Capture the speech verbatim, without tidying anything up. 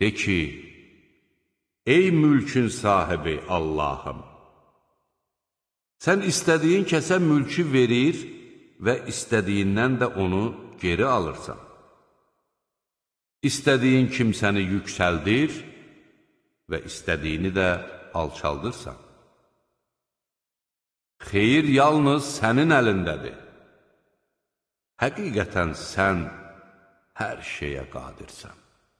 De ki, ey mülkün sahibi Allahım, sən istədiyin kəsə mülkü verir və istədiyindən də onu geri alırsan. İstədiyin kimsəni yüksəldir və istədiyini də alçaldırsan. Xeyir yalnız sənin əlindədir. Həqiqətən sən hər şeyə qadirsən.